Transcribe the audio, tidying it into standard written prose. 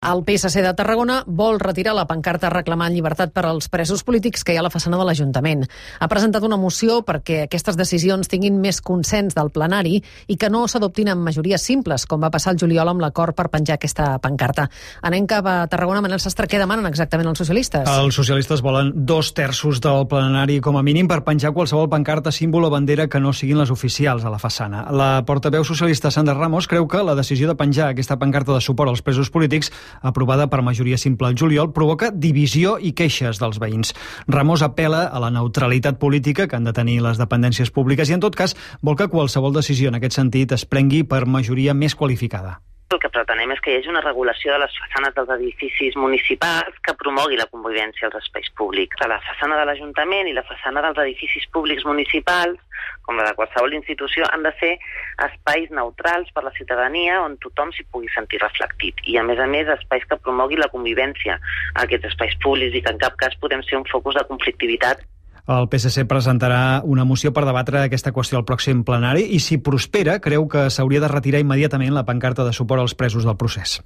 El PSC de Tarragona vol retirar la pancarta reclamant llibertat per als presos polítics que hi ha a la façana de l'Ajuntament. Ha presentat una moció perquè aquestes decisions tinguin més consens del plenari i que no s'adoptin amb majories simples, com va passar el juliol amb l'acord per penjar aquesta pancarta. Anem cap a Tarragona. Manel Sastre, què demanen exactament els socialistes? Els socialistes volen 2/3 del plenari com a mínim per penjar qualsevol pancarta, símbol o bandera que no siguin les oficials a la façana. La portaveu socialista Sandra Ramos creu que la decisió de penjar aquesta pancarta de suport als presos polítics aprovada per majoria simple al juliol, provoca divisió i queixes dels veïns. Ramos apela a la neutralitat política que han de tenir les dependències públiques i, en tot cas, vol que qualsevol decisió en aquest sentit es prengui per majoria més qualificada. El que pretenem és que hi hagi una regulació de les façanes dels edificis municipals que promogui la convivència als espais públics. La façana de l'Ajuntament i la façana dels edificis públics municipals, com la de qualsevol institució, han de ser espais neutrals per la ciutadania on tothom s'hi pugui sentir reflectit. I, a més, espais que promogui la convivència a aquests espais públics i que en cap cas podem ser un focus de conflictivitat. El PSC presentarà una moció per debatre aquesta qüestió al pròxim plenari i, si prospera, creu que s'hauria de retirar immediatament la pancarta de suport als presos del procés.